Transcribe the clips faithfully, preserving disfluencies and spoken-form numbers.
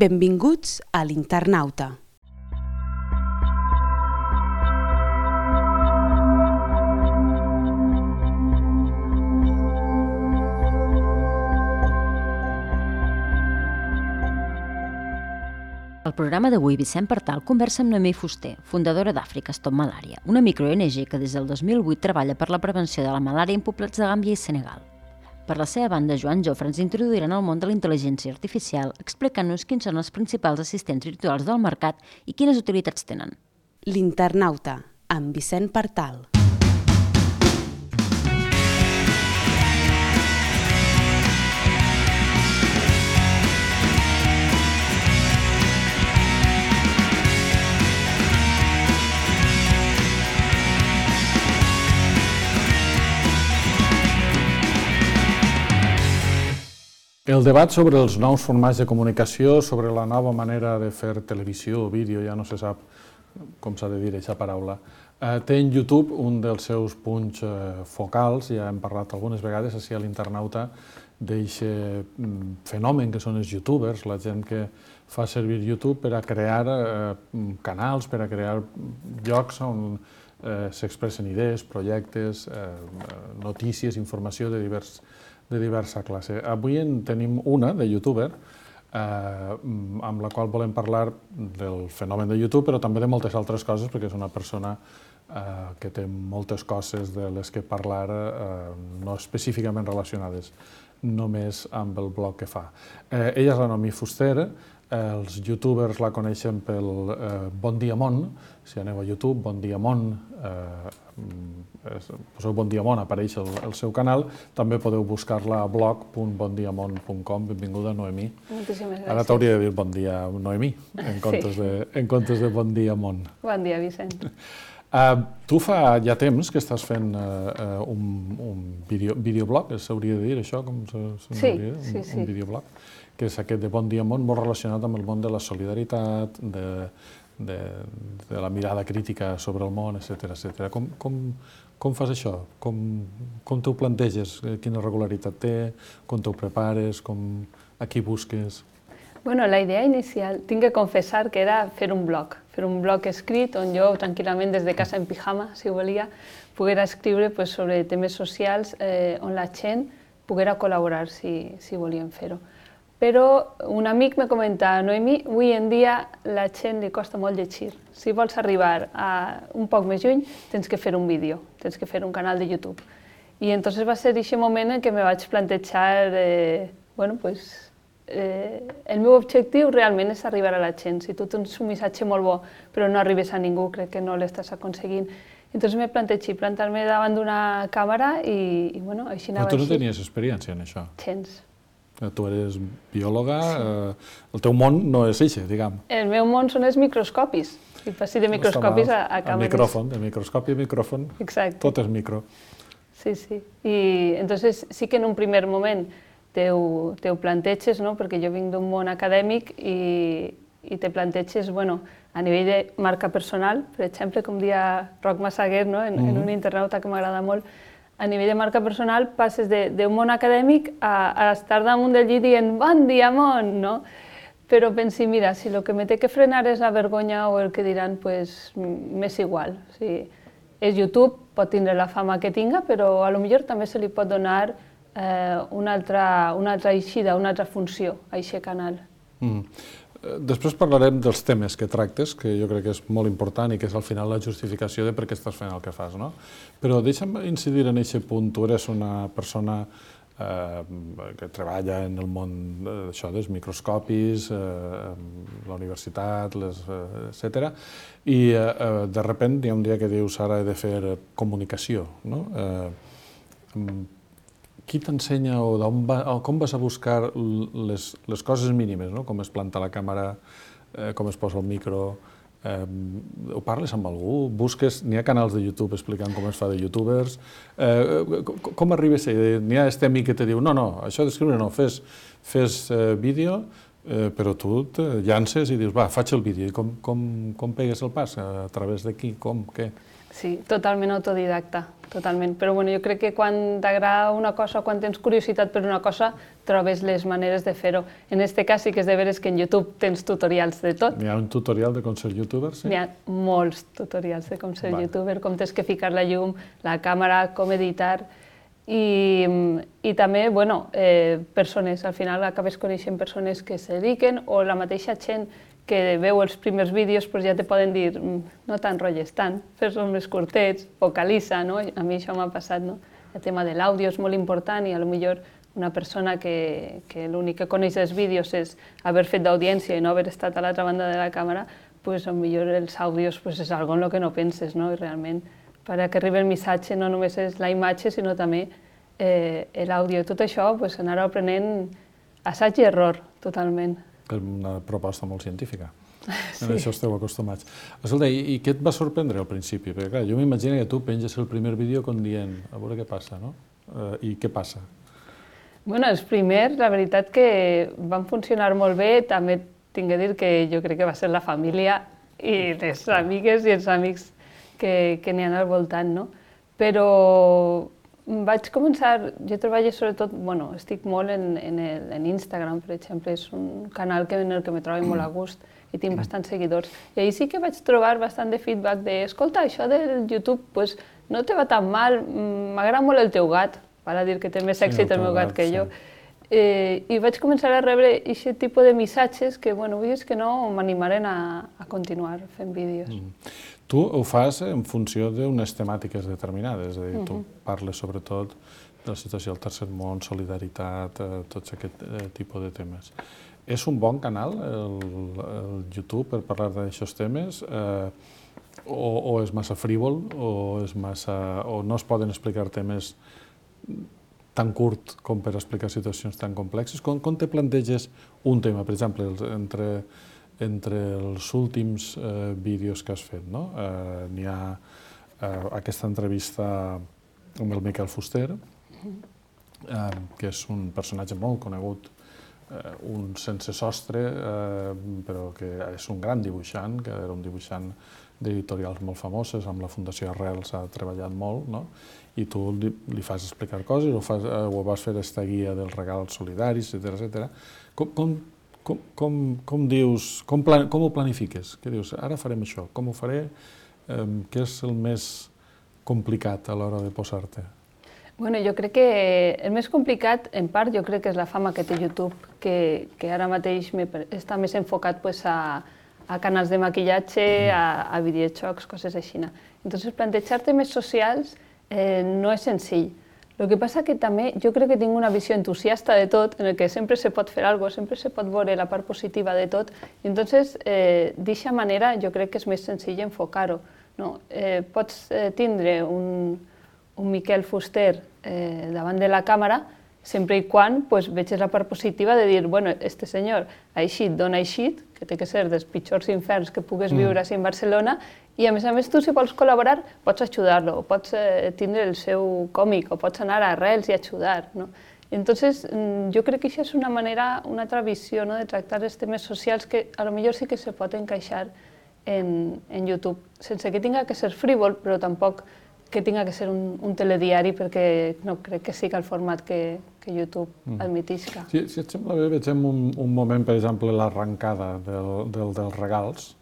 Benvinguts a l'Internauta. Al programa d'avui, Vicent Partal conversa amb Noemí Fuster, fundadora d'Àfrica Stop Malària, una micro-O N G que des del dos mil vuit treballa per la prevenció de la malària en poblats de Gàmbia i Senegal. Per la seva banda, Joan Jofre ens introduirà en el món de la intel·ligència artificial, explicant-nos quins són els principals assistents virtuals del mercat i quines utilitats tenen. L'Internauta, amb Vicent Partal. El debat sobre els nous formats de comunicació, sobre la nova manera de fer televisió o vídeo, ja no se sap com s'ha de dir aquesta paraula, té en YouTube un dels seus punts focals, ja hem parlat algunes vegades així a l'Internauta, d'aquest fenomen que són els youtubers, la gent que fa servir YouTube per a crear canals, per a crear llocs on s'expressen idees, projectes, notícies, informació de divers de diversa classe. Avui en tenim una de youtuber amb la qual volem parlar del fenomen de YouTube, però també de moltes altres coses, perquè és una persona que té moltes coses de les que parlar no específicament relacionades només amb el blog que fa. Ella és la Noemí Fuster, els youtubers la coneixen pel Bon Dia Món, si aneu a YouTube, Bon Dia Món, poseu Bon Dia Món, apareix el seu canal, també podeu buscar-la a blog punt bon dia món punt com. Benvinguda, Noemí. Moltíssimes gràcies. Ara t'hauria de dir Bon Dia, Noemí, en comptes de Bon Dia Món. Bon dia, Vicent. Tu fa ja temps que estàs fent un videoblog, s'hauria de dir això? Sí, sí, sí. Un videoblog, que és aquest de Bon Dia Món, molt relacionat amb el món de la solidaritat, de la mirada crítica sobre el món, etcètera. Com fas això? Com t'ho planteges? Quina regularitat té? Com t'ho prepares? A qui busques? Bueno, la idea inicial, tinc que confessar que era fer un blog, fer un blog escrit on jo tranquil·lament des de casa en pijama, si volia, poguera escriure sobre temes socials on la gent poguera col·laborar si volien fer-ho. Però un amic me comenta, Noemí, avui en dia la gent li costa molt llegir. Si vols arribar un poc més lluny, tens que fer un vídeo, tens que fer un canal de YouTube. I entonces va ser aquest moment en què me vaig plantejar, bueno, pues, el meu objectiu realment és arribar a la gent. Si tu tens un missatge molt bo però no arribes a ningú, crec que no l'estàs aconseguint. Entonces me plantegi plantar-me davant d'una càmera i, bueno, així anava així. Però tu no tenies experiència en això? Gens. Tu eres biòloga, el teu món no és eixe, diguem. El meu món són els microscopis. I passi de microscopis a càmeres. El micròfon, de microscopi a micròfon, tot és micro. Sí, sí. I entonces sí que en un primer moment Teu planteges, perquè jo vinc d'un món acadèmic i te planteges a nivell de marca personal, per exemple, com dia Roc Massaguer en un internauta que m'agrada molt, a nivell de marca personal passes d'un món acadèmic a estar damunt del llit dient Bon dia, món, no? Però pensi, mira, si el que me té que frenar és la vergonya o el que diran, doncs m'és igual. És YouTube, pot tindre la fama que tinga, però potser també se li pot donar una altra eixida, una altra funció a aquest canal. Després parlarem dels temes que tractes, que jo crec que és molt important i que és al final la justificació de per què estàs fent el que fas, no? Però deixa'm incidir en aquest punt. Tu eres una persona que treballa en el món dels microscopis, la universitat, etcètera, i de sobte hi ha un dia que dius ara he de fer comunicació, no? Qui t'ensenya o com vas a buscar les coses mínimes, com es planta la càmera, com es posa el micro, ho parles amb algú? Busques, n'hi ha canals de YouTube explicant com es fa de youtubers, com arribes a... N'hi ha este amic que te diu, no, no, això d'escriure no, fes vídeo, però tu et llances i dius, va, faig el vídeo, i com pegues el pas? A través de qui, com, què? Sí, totalment autodidacta, totalment. Però bueno, jo crec que quan t'agrada una cosa, quan tens curiositat per una cosa, trobes les maneres de fer-ho. En aquest cas sí que és de veres que en YouTube tens tutorials de tot. Hi ha un tutorial de com ser youtuber, sí? Hi ha molts tutorials de com ser youtuber, com tens que ficar la llum, la càmera, com editar. I, i també, bueno, eh, persones, al final acabes coneixent persones que se dediquen o la mateixa gent que veu els primers vídeos pues ja te poden dir no t'enrotlles tant, fes-los més curtets, vocalitza, no? A mi això m'ha passat, no? El tema de l'àudio és molt important i potser una persona que, que l'únic que coneix dels vídeos és haver fet d'audiència i no haver estat a l'altra banda de la càmera, pues potser els àudios pues, és algo en el que no penses, no? I realment, per a que arribi el missatge no només és la imatge, sinó també eh, l'àudio. Tot això, pues, anar aprenent assaig i error, totalment. Una proposta molt científica. Sí. En això esteu acostumats. Escolta, i, i què et va sorprendre al principi? Perquè, clar, jo m'imagino que tu penges el primer vídeo com dient, a veure què passa, no? Uh, I què passa? Bueno, els primers, la veritat que van funcionar molt bé. També tinc que dir que jo crec que va ser la família i les amigues i els amics que, que n'hi ha al voltant, no? Però vaig començar, jo treballo sobretot, bueno, estic molt en, en, el, en Instagram, per exemple, és un canal que, en el que me trobo molt a gust i tinc bastants seguidors. I ahir sí que vaig trobar bastant de feedback de, escolta, això del YouTube, pues, no te va tan mal, m'agrada molt el teu gat, val a dir que té més èxit el meu gat que jo. Eh, I vaig començar a rebre aquest tipus de missatges que, bueno, vull dir que no m'animaren a, a continuar fent vídeos. Mm. Tu ho fas en funció d'unes temàtiques determinades, és a dir, tu parles sobretot de la situació del tercer món, solidaritat, tots aquest tipus de temes. És un bon canal, el YouTube, per parlar d'aixòs temes, o és massa frívol, o no es poden explicar temes tan curt com per explicar situacions tan complexes? Com te planteges un tema, per exemple, entre... entre els últims eh, vídeos que has fet, no? Eh, n'hi ha eh, aquesta entrevista amb el Miquel Fuster, eh, que és un personatge molt conegut, eh, un sense sostre, eh, però que és un gran dibuixant, que era un dibuixant d'editorials molt famoses, amb la Fundació Arrels ha treballat molt, no? I tu li, li fas explicar coses, o, fas, eh, o vas fer aquesta guia dels regals solidaris, etcètera, etcètera. Com, com Com, com, com dius, com, plan, com ho planifiques? Què dius? Ara farem això, com ho faré? Eh, què és el més complicat a l'hora de posar-te? Bueno, jo crec que el més complicat, en part, jo crec que és la fama que té YouTube, que, que ara mateix me, està més enfocat pues, a, a canals de maquillatge, a, a videojocs, coses així. Entonces, plantejar temes socials eh, no és senzill. El que passa que també jo crec que tinc una visió entusiasta de tot, en el que sempre se pot fer alguna cosa, sempre se pot veure la part positiva de tot, i entonces, eh, d'aquesta manera, jo crec que és més senzill enfocar-ho. No? Eh, pots eh, tindre un, un Miquel Fuster eh, davant de la càmera, sempre i quan pues, veges la part positiva de dir, bueno, este senyor ha eixit d'on ha eixit, que té que ser dels pitjors inferns que pugues viure mm. a Barcelona, i a més a més tu si vols col·laborar pots ajudar-lo, o pots eh, tindre el seu còmic, o pots anar a Arrels i ajudar. No? Entonces, jo crec que això és una manera, una altra visió, no? De tractar els temes socials que a lo millor sí que se pot encaixar en, en YouTube, sense que tinga que ser frívol, però tampoc que tinga que ser un, un telediari, perquè no crec que sigui el format que, que YouTube mm. admetisca. Si, si et sembla bé, vegem un, un moment, per exemple, l'arrencada del, del, dels regals.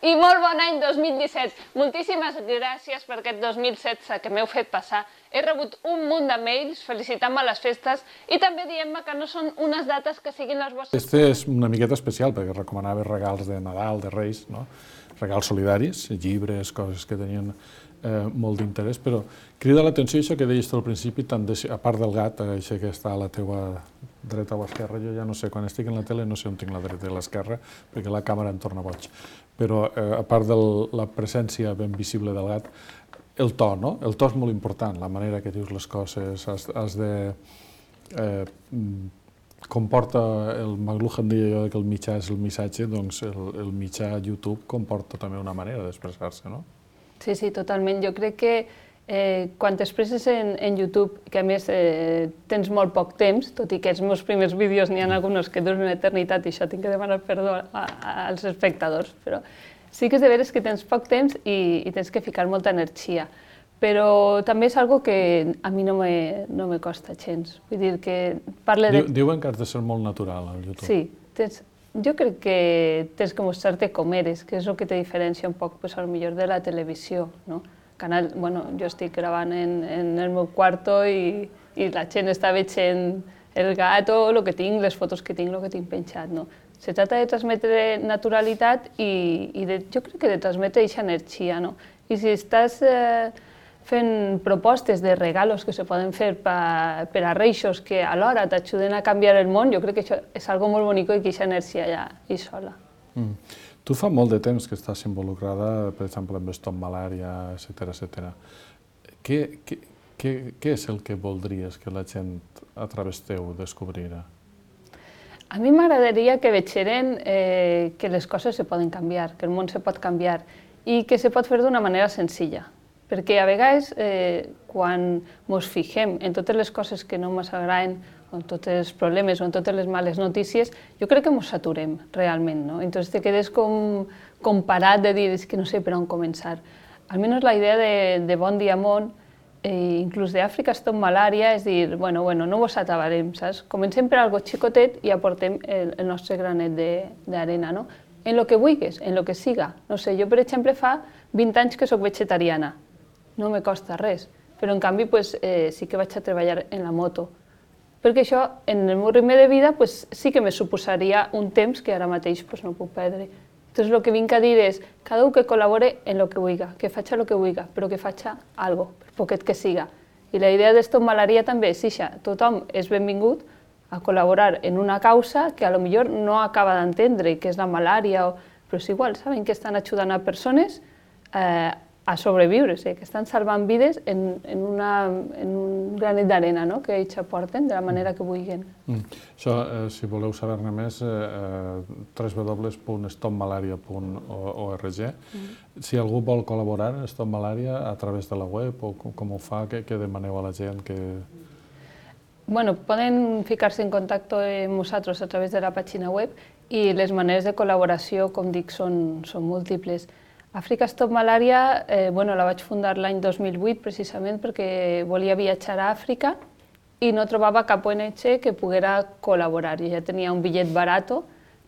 I molt bon any dos mil disset. Moltíssimes gràcies per aquest dos mil setze que m'heu fet passar. He rebut un munt de mails felicitant-me les festes i també dient-me que no són unes dates que siguin les vostres... Este és una miqueta especial perquè recomanava regals de Nadal, de Reis, no? Regals solidaris, llibres, coses que tenien eh, molt d'interès, però crida l'atenció això que deies tu al principi, tant de, a part del gat, això que està a la teua dreta o esquerra, jo ja no sé, quan estic en la tele no sé on tinc la dreta i l'esquerra, perquè la càmera em torna boig. Però eh, a part de la presència ben visible del gat, el to, no? El to és molt important, la manera que dius les coses, has, has de... Eh, comporta, el McLuhan deia jo que el mitjà és el missatge, doncs el, el mitjà YouTube comporta també una manera d'expressar-se, no? Sí, sí, totalment. Jo crec que eh, quan t'expresses en, en YouTube, que a més eh, tens molt poc temps, tot i que els meus primers vídeos n'hi ha alguns que duren una eternitat i això tinc que demanar perdó a, a, als espectadors, però sí que és de veres que tens poc temps i, i tens que ficar molta energia. Però també és algo que a mi no me, no me costa gens. Vull dir que parle de... Diuen que has de ser molt natural al YouTube. Sí, tens... jo crec que tens que mostrar-te com eres, que és el que te diferencia un poc, pues, potser de la televisió, no? Canal, bueno, jo estic gravant en, en el meu quarto i, i la gent està veient el gato, el que tinc, les fotos que tinc, el que tinc penjat, no? Se trata de transmetre naturalitat i, i de, jo crec que de transmetre aquesta energia, no? I si estàs eh, fent propostes de regalos que se poden fer pa, per a reixos que alhora t'ajuden a canviar el món, jo crec que això és algo molt bonic i que aquesta energia ja hi sola. Mm. Tu fa molt de temps que estàs involucrada, per exemple, amb Stop Malària, etcètera, etcètera. Què, què, què, què és el que voldries que la gent a través teu descobrira? A mi m'agradaria que vegeren eh, que les coses se poden canviar, que el món se pot canviar i que se pot fer d'una manera senzilla. Perquè a vegades, eh, quan ens fixem en totes les coses que no ens agraden, o en tots els problemes o en totes les males notícies, jo crec que ens saturem realment, no? Entonces te quedes com, com parat de dir, és que no sé per on començar. Almenys la idea de, de Bon Dia Món, eh, inclús d'Àfrica Stop Malària, és dir, bueno, bueno, no vos atabarem, saps? Comencem per algo xicotet i aportem el, el nostre granet d'arena, no? En lo que vulguis, en lo que siga. No sé, jo, per exemple, fa vint anys que soc vegetariana. No me costa res, però en canvi pues, eh, sí que vaig a treballar en la moto. Perquè això, en el meu ritme de vida, pues, sí que me suposaria un temps que ara mateix pues, no puc perdre. Entonces, el que vinc a dir és, cada un que col·labore en el que vulgui, que faci el que vulgui, però que faci algo, per poquet que siga. I la idea de Stop Malària també és això, tothom és benvingut a col·laborar en una causa que a lo millor no acaba d'entendre, que és la malària, o... però és igual, saben que estan ajudant a persones eh, a sobreviure, o sigui, que estan salvant vides en, en, una, en un granet d'arena, no? Que ells aporten de la manera que vulguin. Mm. Això, eh, si voleu saber-ne més, eh, w w w punt stop malaria punt org. Mm. Si algú vol col·laborar en Stop Malària a través de la web, o com ho fa, què, què demaneu a la gent? Que... Bueno, poden ficar-se en contacte amb nosaltres a través de la pàgina web i les maneres de col·laboració, com dic, són, són múltiples. Àfrica Stop Malària, eh, bueno, la vaig fundar l'any dos mil vuit precisament perquè volia viatjar a Àfrica i no trobava cap O N G que poguera col·laborar. Jo ja tenia un bitllet barat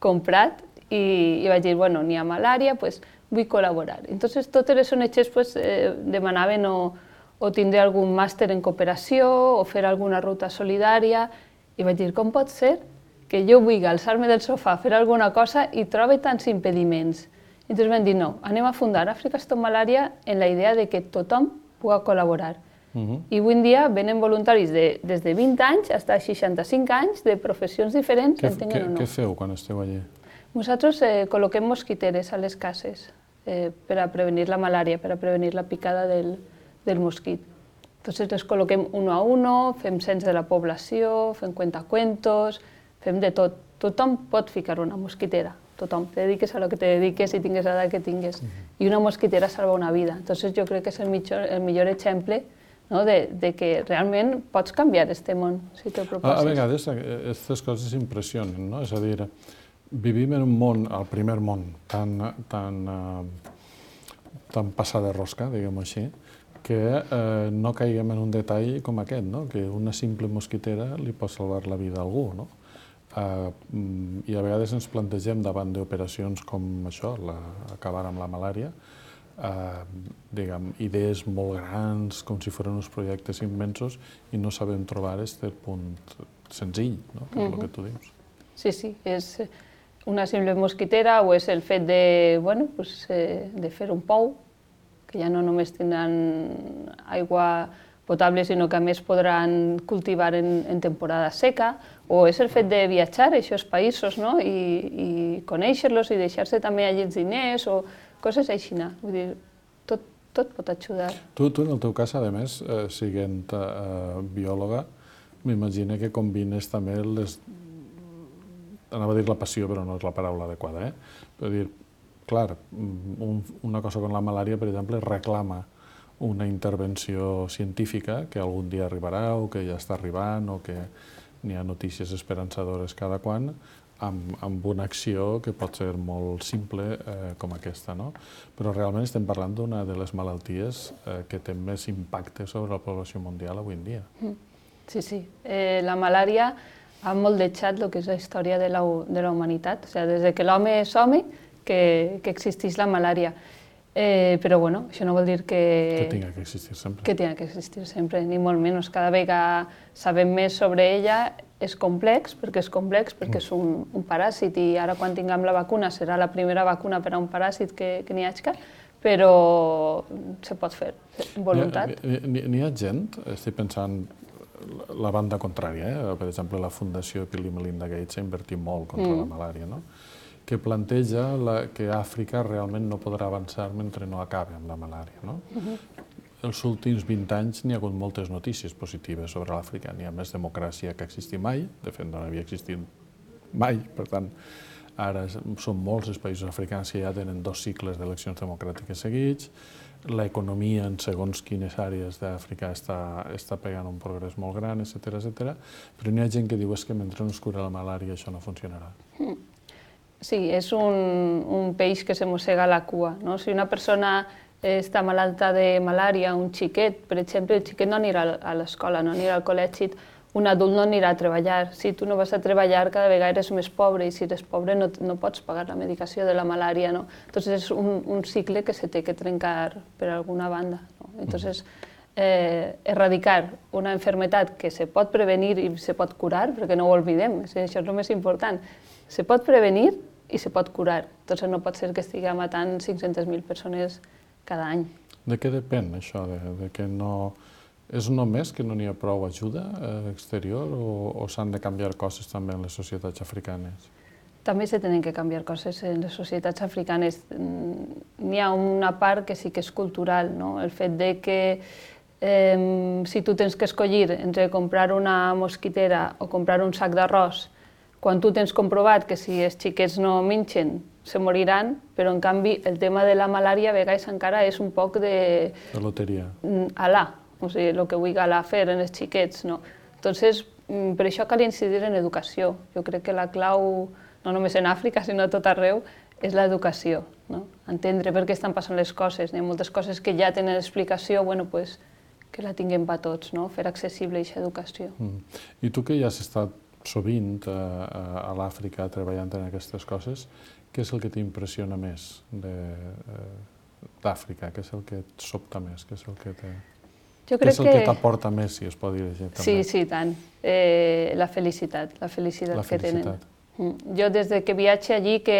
comprat i, i vaig dir, bueno, n'hi ha malària, pues vull col·laborar. Entonces, totes les O N Gs pues, eh, demanaven o, o tindre algun màster en cooperació o fer alguna ruta solidària i vaig dir, com pot ser que jo vulgui alçar-me del sofà, fer alguna cosa i trobe tants impediments? Entonces vam dir, no, anem a fundar Àfrica Stop Malària en la idea de que tothom pugui col·laborar. Uh-huh. I avui en dia venen voluntaris de, des de vint anys fins a seixanta-cinc anys, de professions diferents, què, entenguen què, o no. Què feu quan esteu allí? Nosaltres eh, col·loquem mosquiteres a les cases eh, per a prevenir la malària, per a prevenir la picada del, del mosquit. Entonces les col·loquem uno a uno, fem cens de la població, fem cuentacuentos, fem de tot. Tothom pot ficar una mosquitera. Tothom, te dediques a lo que te dediques i tingues l'edat que tingues. Uh-huh. I una mosquitera salva una vida. Entonces jo crec que és el millor, el millor exemple, no? de, de que realment pots canviar este món, si te proposes. A, a vegades aquestes coses impressionen, no? És a dir, vivim en un món, el primer món, tan, tan, uh, tan passat de rosca, diguem-ho així, que eh, no caiguem en un detall com aquest, no? Que una simple mosquitera li pot salvar la vida a algú, no? Uh, I a vegades ens plantegem davant d'operacions com això, la, acabar amb la malària, uh, diguem, idees molt grans, com si fossin uns projectes immensos, i no sabem trobar aquest punt senzill, no? Que és uh-huh. el que tu dius. Sí, sí, és una simple mosquitera o és el fet de, bueno, pues, eh, de fer un pou, que ja no només tindran aigua potable, sinó que a més podran cultivar en, en temporada seca, o és el fet de viatjar a aquests països, no? I, i conèixer-los i deixar-se també allí els diners o coses així. Vull dir, tot, tot pot ajudar. Tu, tu, en el teu cas, a més, eh, siguent eh, biòloga, m'imagino que combines també les... Anava a dir la passió, però no és la paraula adequada, eh? Però dir, clar, una cosa com la malària, per exemple, reclama una intervenció científica que algun dia arribarà o que ja està arribant o que n'hi ha notícies esperançadores cada quan, amb, amb una acció que pot ser molt simple eh, com aquesta, no? Però realment estem parlant d'una de les malalties eh, que té més impacte sobre la població mundial avui en dia. Sí, sí. Eh, la malària ha moldejat el que és la història de la, de la humanitat. O sigui, des que l'home és home, que, que existeix la malària. Eh, però bueno, això no vol dir que... Que tinga que existir sempre. Que tinga que existir sempre, ni molt menys. Cada vegada sabem més sobre ella, és complex, perquè és complex, perquè és un, un paràsit, i ara quan tinguem la vacuna serà la primera vacuna per a un paràsit que, que n'hi hagi, però se pot fer, amb voluntat. N'hi ha gent, estic pensant, la banda contrària, eh? Per exemple, la Fundació Bill i Melinda Gates ha invertit molt contra mm. la malària, no? Que planteja la, que Àfrica realment no podrà avançar mentre no acabi amb la malària, no? Uh-huh. Els últims vint anys n'hi ha hagut moltes notícies positives sobre l'Àfrica. N'hi ha més democràcia que ha existit mai, de fet no havia existit mai, per tant, ara són molts els països africans que ja tenen dos cicles d'eleccions democràtiques seguits, l'economia en segons quines àrees d'Àfrica està, està pegant un progrés molt gran, etcètera, etcètera, però n'hi ha gent que diu és que mentre no es cura la malària això no funcionarà. Mm. Sí, és un, un peix que se mossega la cua, no? Si una persona està malalta de malària, un xiquet, per exemple, el xiquet no anirà a l'escola, no anirà al col·legi, un adult no anirà a treballar. Si tu no vas a treballar, cada vegada eres més pobre, i si eres pobre no, no pots pagar la medicació de la malària, no? Entonces és un, un cicle que se té que trencar per alguna banda, no? Entonces, eh, erradicar una enfermedad que se pot prevenir i se pot curar, perquè no ho oblidem, això és el més important, se pot prevenir i se pot curar. Entonces no pot ser que estigui matant cinc-centes mil persones cada any. De què depèn això? De, de que no... És només que no n'hi ha prou ajuda eh, exterior o, o s'han de canviar coses també en les societats africanes? També se tenen que canviar coses en les societats africanes. N'hi ha una part que sí que és cultural, no? El fet de que eh, si tu tens que escollir entre comprar una mosquitera o comprar un sac d'arròs, quan tu tens comprovat que si els xiquets no mengen se moriran, però en canvi el tema de la malària a vegades encara és un poc de... De loteria. Alà, o sigui, el que vull alà fer en els xiquets, no? Entonces, per això cal incidir en educació. Jo crec que la clau, no només en Àfrica, sinó a tot arreu, és l'educació, no? Entendre per què estan passant les coses. Hi ha moltes coses que ja tenen explicació, bueno, pues, que la tinguem per tots, no? Fer accessible aquesta educació. Mm. I tu que ja has estat sovint a, a l'Àfrica treballant en aquestes coses, què és el que t'impressiona més d'Àfrica? Què és el que et sobta més? Què és el que te... Jo crec què és el que t'aporta més, si es pot dir així? Sí, sí, tant. Eh, la felicitat, la felicitat, la que felicitat. tenen. Jo des de que viatge allí, que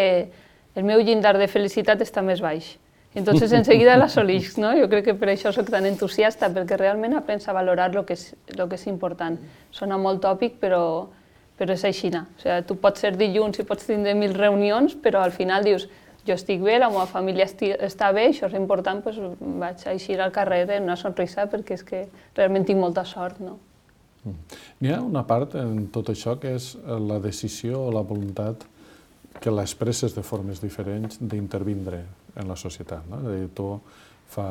el meu llindar de felicitat està més baix. Entonces, enseguida l'assolix, no? Jo crec que per això soc tan entusiasta, perquè realment aprens a valorar el que és, lo que és important. Sona molt tòpic, però, però és així. O sigui, tu pots ser dilluns i pots tindre mil reunions, però al final dius, jo estic bé, la meva família està bé, això és important, doncs vaig a eixir al carrer amb una sonrisa, perquè és que realment tinc molta sort, no? N'hi ha una part en tot això que és la decisió o la voluntat que l'expresses de formes diferents d'intervindre en la societat, no? És a dir, tu fa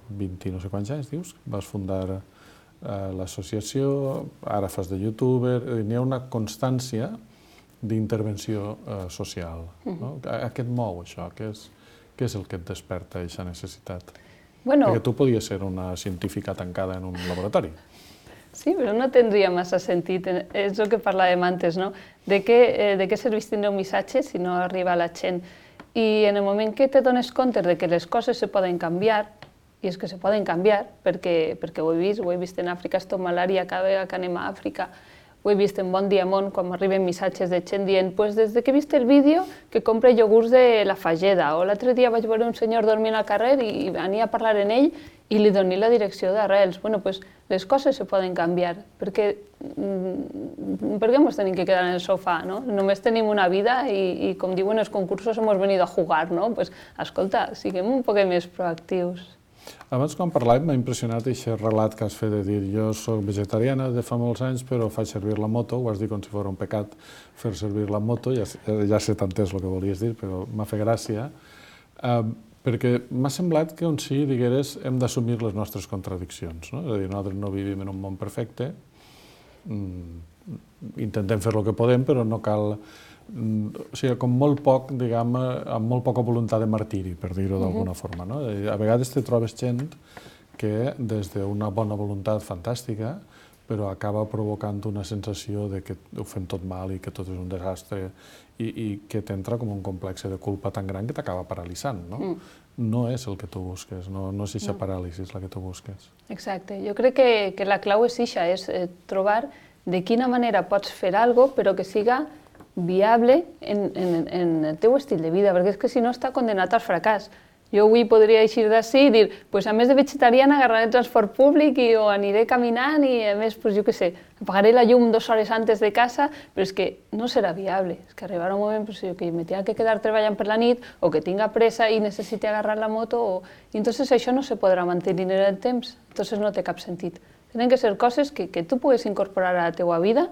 vint i no sé quants anys, dius, vas fundar l'associació, ara fas de youtuber, n'hi ha una constància d'intervenció social. A què et mou això? Què és el que et desperta aquesta necessitat? Perquè tu podies ser una científica tancada en un laboratori. Sí, però no tindria massa sentit. És el que parlàvem antes, no? De què serveix tindre un missatge si no arriba a la gent? I en el moment que te dones compte de que les coses se poden canviar, i és que se poden canviar, perquè ho he vist, ho he vist en Àfrica, Stop Malària, cada vegada que anem a Àfrica, ho he vist en Bon Dia Món, quan m'arriben missatges de gent dient pues des que he vist el vídeo que compre iogurts de la Fageda, o l'altre dia vaig veure un senyor dormint al carrer i venia a parlar amb ell i li doné la direcció d'arrels. Bueno, pues les coses se poden canviar, perquè per què ens tenim que quedar en el sofà, no? Només tenim una vida i, com diuen els concursos, hemos venido a jugar, no? Pues, escolta, siguem un poc més proactius. Abans, quan parlàvem, m'ha impressionat aquest relat que has fet de dir jo soc vegetariana de fa molts anys, però faig servir la moto, ho has dit com si fos un pecat fer servir la moto, ja sé tant és el que volies dir, però m'ha fet gràcia. Perquè m'ha semblat que on sí, digueres, hem d'assumir les nostres contradiccions. És a dir, nosaltres no vivim en un món perfecte, intentem fer el que podem, però no cal... O sigui, com molt poc, diguem, amb molt poca voluntat de martiri, per dir-ho d'alguna forma. A vegades te trobes gent que, des d'una bona voluntat fantàstica, però acaba provocant una sensació de que ho fem tot mal i que tot és un desastre i que t'entra com un complex de culpa tan gran que t'acaba paralitzant. No és el que tu busques, no és aquesta paràlisi la que tu busques. Exacte. Jo crec que la clau és això, és trobar de quina manera pots fer alguna cosa però que siga viable en el teu estil de vida, perquè és que si no està condenat al fracàs. Jo avui podria eixir d'ací i dir, doncs a més de vegetariana agarraré el transport públic o aniré caminant i a més, jo què sé, apagaré la llum dues hores antes de casa, però és que no serà viable. És que arribarà un moment que me tinga que quedar treballant per la nit o que tinga pressa i necessiti agarrar la moto i entonces això no se podrà mantenir en el temps, entonces no té cap sentit. Tenen que ser coses que tu puguis incorporar a la teua vida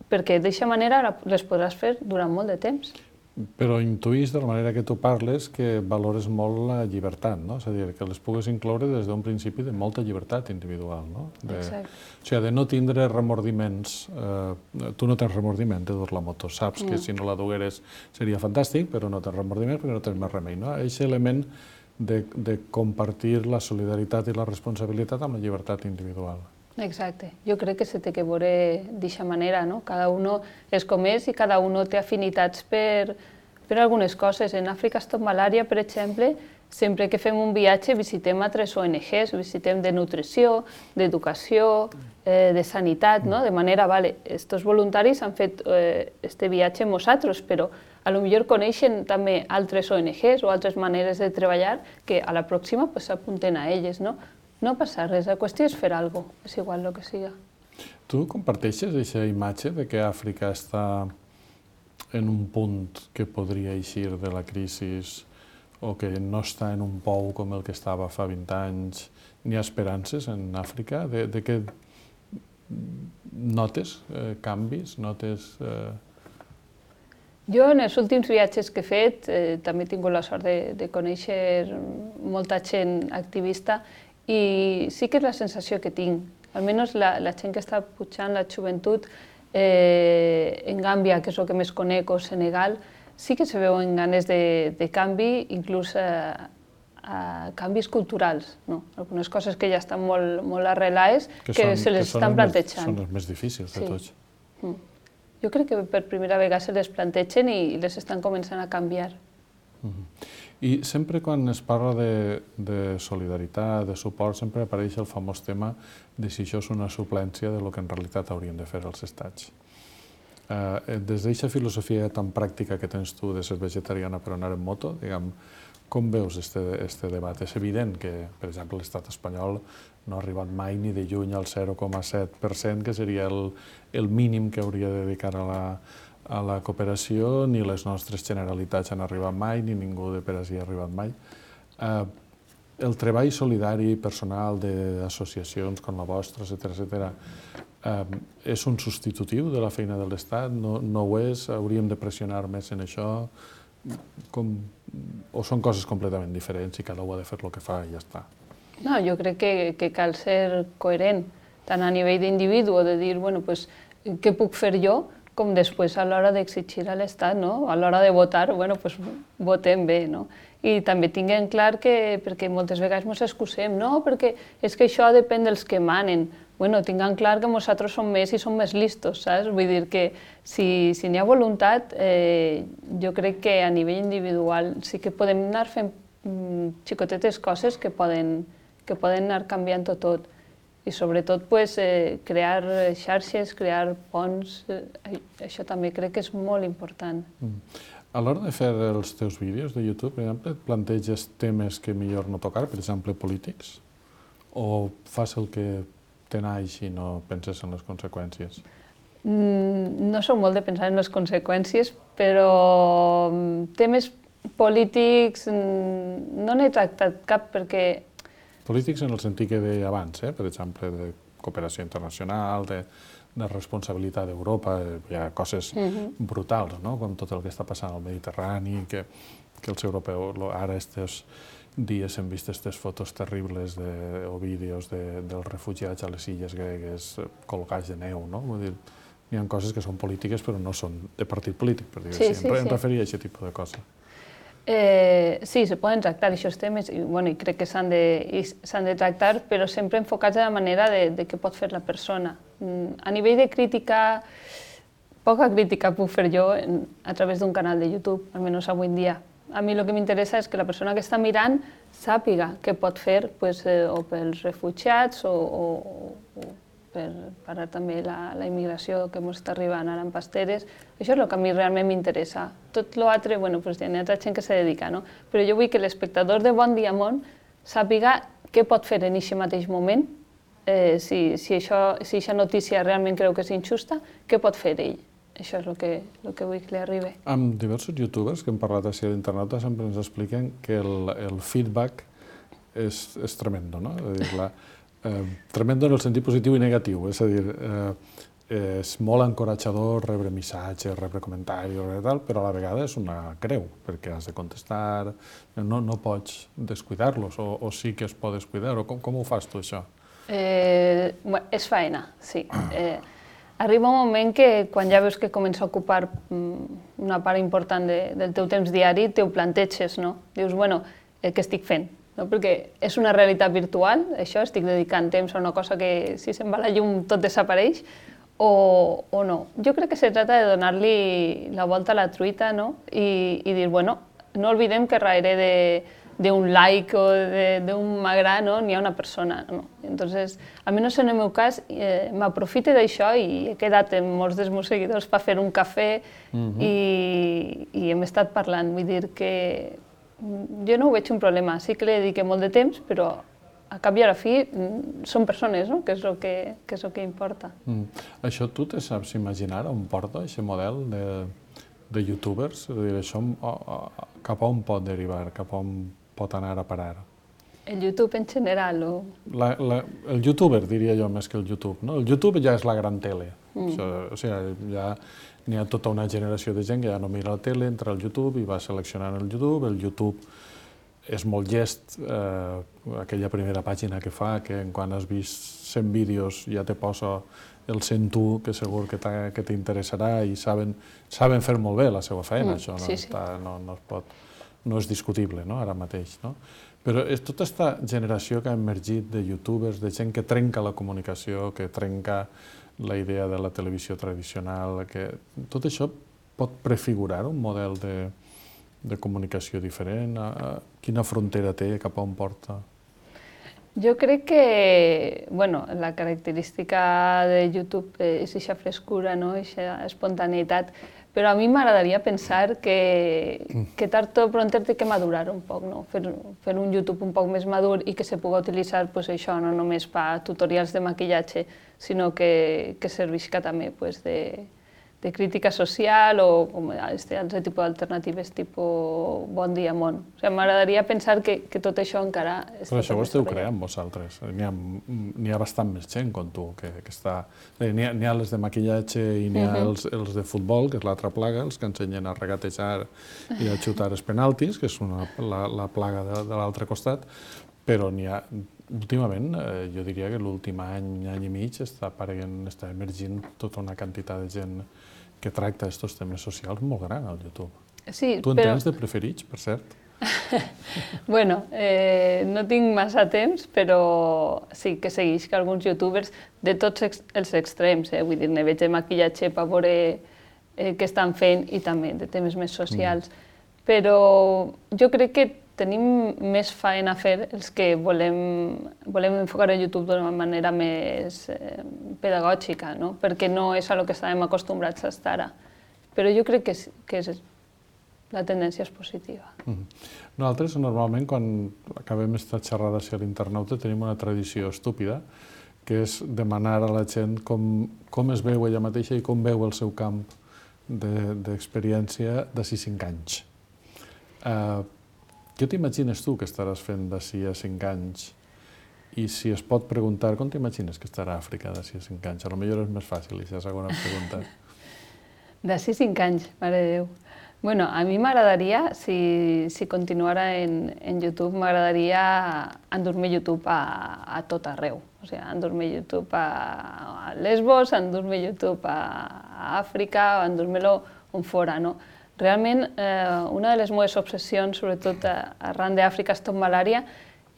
perquè d'aquesta manera les podràs fer durant molt de temps. Però intuïs de la manera que tu parles que valores molt la llibertat, no? És a dir, que les pugues incloure des d'un principi de molta llibertat individual, no? Exacte. O sigui, de no tindre remordiments. Tu no tens remordiment de dur la moto, saps que si no la dugueres seria fantàstic, però no tens remordiments perquè no tens més remei, no? Aquest element de compartir la solidaritat i la responsabilitat amb la llibertat individual. Exacte. Jo crec que se té que veure d'aquesta manera, no? Cada un és com és i cada un té afinitats per algunes coses. En Àfrica Stop Malària, per exemple, sempre que fem un viatge visitem altres O N Ges, visitem de nutrició, d'educació, de sanitat, no? De manera, vale, estos voluntaris han fet este viatge amb nosaltres, però a lo millor coneixen també altres O N Ges o altres maneres de treballar que a la pròxima s'apunten a elles, no? No passa res, la qüestió és fer alguna cosa, és igual el que siga. Tu comparteixes aquesta imatge de que Àfrica està en un punt que podria eixir de la crisi o que no està en un pou com el que estava fa vint anys? N'hi ha esperances en Àfrica? De què notes canvis? Notes... Jo, en els últims viatges que he fet, també he tingut la sort de conèixer molta gent activista i sí que és la sensació que tinc, almenys la gent que està pujant, la joventut, en Gàmbia, que és el que més conec, o Senegal, sí que se veuen ganes de canvi, inclús canvis culturals, algunes coses que ja estan molt arrelades, que se les estan plantejant. Són els més difícils de tots. Jo crec que per primera vegada se les plantegen i les estan començant a canviar. I sempre quan es parla de solidaritat, de suport, sempre apareix el famós tema de si això és una suplència del que en realitat haurien de fer els estats. Des d'aquesta filosofia tan pràctica que tens tu de ser vegetariana per anar en moto, diguem, com veus aquest debat? És evident que, per exemple, l'estat espanyol no ha arribat mai ni de lluny al zero coma set per cent, que seria el mínim que hauria de dedicar a la a la cooperació, ni les nostres generalitats han arribat mai, ni ningú de per així ha arribat mai. El treball solidari personal d'associacions com la vostra, etcètera, és un substitutiu de la feina de l'Estat? No ho és? Hauríem de pressionar més en això? O són coses completament diferents i cada un ha de fer el que fa i ja està? No, jo crec que cal ser coherent, tant a nivell d'individu, o de dir, bueno, doncs, què puc fer jo, com després a l'hora d'exigir a l'Estat, no? A l'hora de votar, bueno, doncs votem bé, no? I també tinguem clar que, perquè moltes vegades ens excusem, no, perquè és que això depèn dels que manen. Bueno, tinguem clar que nosaltres som més i som més listos, saps? Vull dir que si n'hi ha voluntat, jo crec que a nivell individual sí que podem anar fent xicotetes coses que poden anar canviant-ho tot. I sobretot crear xarxes, crear ponts, això també crec que és molt important. A l'hora de fer els teus vídeos de YouTube, per exemple, et planteges temes que millor no tocar, per exemple, polítics? O fas el que te naix i no penses en les conseqüències? No soc molt de pensar en les conseqüències, però temes polítics no n'he tractat cap perquè... Polítics en el sentit que deia abans, per exemple, de cooperació internacional, de responsabilitat d'Europa, hi ha coses brutals, com tot el que està passant al Mediterrani, que que els europeus, ara aquests dies hem vist aquestes fotos terribles o vídeos dels refugiats a les illes gregues colgats de neu, no? Vull dir, hi ha coses que són polítiques però no són de partit polític, per dir-ho així. Em referia a aquest tipus de coses. Sí, se poden tractar aquests temes i crec que s'han de tractar, però sempre enfocats de la manera de què pot fer la persona. A nivell de crítica, poca crítica puc fer jo a través d'un canal de YouTube, almenys avui en dia. A mi el que m'interessa és que la persona que està mirant sàpiga què pot fer o pels refugiats o per parar també la immigració que ens està arribant ara en pasteres. Això és el que a mi realment m'interessa. Tot l'altre, bueno, hi ha altra gent que s'hi dedica, no? Però jo vull que l'espectador de Bon Dia Món sàpiga què pot fer en aquest mateix moment, si aquesta notícia realment creu que és injusta, què pot fer ell. Això és el que vull que li arribi. Amb diversos youtubers que hem parlat així a l'internet sempre ens expliquen que el feedback és tremendo, no? Tremendo en el sentit positiu i negatiu, és a dir, és molt encoratjador rebre missatges, rebre comentaris, però a la vegada és una creu, perquè has de contestar, no pots descuidar-los, o sí que es pot descuidar, o com ho fas tu, això? És faena, sí. Arriba un moment que quan ja veus que comença a ocupar una part important del teu temps diari, t'ho planteges, no? Dius, bueno, què estic fent? Perquè és una realitat virtual, això, estic dedicant temps a una cosa que si se'n va la llum tot desapareix, o no. Jo crec que se trata de donar-li la volta a la truita i dir, bueno, no oblidem que darrere d'un like o d'un m'agrada n'hi ha una persona. Entonces, almenys en el meu cas, m'aprofite d'això i he quedat amb molts dels meus seguidors per fer un cafè i hem estat parlant. Vull dir que jo no ho veig un problema, sí que li dediqué molt de temps, però a cap i a la fi són persones, que és el que importa. Això tu te saps imaginar on porta aquest model de youtubers? És a dir, això cap a on pot derivar, cap a on pot anar a parar? El YouTube en general? El youtuber, diria jo, més que el YouTube. El YouTube ja és la gran tele. O sigui, ja n'hi ha tota una generació de gent que ja no mira la tele, entra al YouTube i va seleccionant el YouTube. El YouTube és molt llest, aquella primera pàgina que fa, que quan has vist cent vídeos ja te posa el cent u, que segur que t'interessarà, i saben fer molt bé la seva feina, això no és discutible ara mateix. Però és tota aquesta generació que ha emergit de youtubers, de gent que trenca la comunicació, que trenca la idea de la televisió tradicional, que tot això pot prefigurar un model de comunicació diferent? Quina frontera té, cap a on porta? Jo crec que la característica de YouTube és aquesta frescura, aquesta espontaneïtat, però a mi m'agradaria pensar que tard o pront té que madurar un poc, fer un YouTube un poc més madur i que se pugui utilitzar això no només per tutorials de maquillatge, sinó que servisca també de crítica social o altre tipus d'alternatives, tipus Bon Dia Món. M'agradaria pensar que tot això encara està... Però això ho esteu creant vosaltres. N'hi ha bastant més gent com tu que està... N'hi ha les de maquillatge i n'hi ha els de futbol, que és l'altra plaga, els que ensenyen a regatejar i a xutar els penaltis, que és la plaga de l'altre costat, però n'hi ha... Últimament, jo diria que l'últim any, any i mig, està apareguent, està emergint tota una quantitat de gent que tracta aquests temes socials molt gran al YouTube. Tu en tens de preferits, per cert? Bueno, no tinc massa temps, però sí que segueix que alguns youtubers de tots els extrems, vull dir, ne veig de maquillatge per veure què estan fent i també de temes més socials. Però jo crec que tenim més feina a fer els que volem enfocar el YouTube d'una manera més pedagògica, perquè no és a lo que estàvem acostumbrats a estar ara. Però jo crec que la tendència és positiva. Nosaltres, normalment, quan acabem aquesta xerrada a l'internauta, tenim una tradició estúpida, que és demanar a la gent com es veu ella mateixa i com veu el seu camp d'experiència d'ací cinc anys. Què t'imagines tu que estaràs fent d'ací a cinc anys? I si es pot preguntar, com t'imagines que estarà Àfrica d'ací a cinc anys? A lo millor és més fàcil, aquesta segona pregunta. D'ací cinc anys, mare de Déu. Bueno, a mi m'agradaria, si, si continuara en, en YouTube, m'agradaria endur-me YouTube a, a tot arreu. O sigui, endur-me YouTube a, a Lesbos, endur-me YouTube a, a Àfrica, endur-me-lo on fora, no? Realment, eh, una de les meves obsessions, sobretot arran d'Àfrica Stop Malària,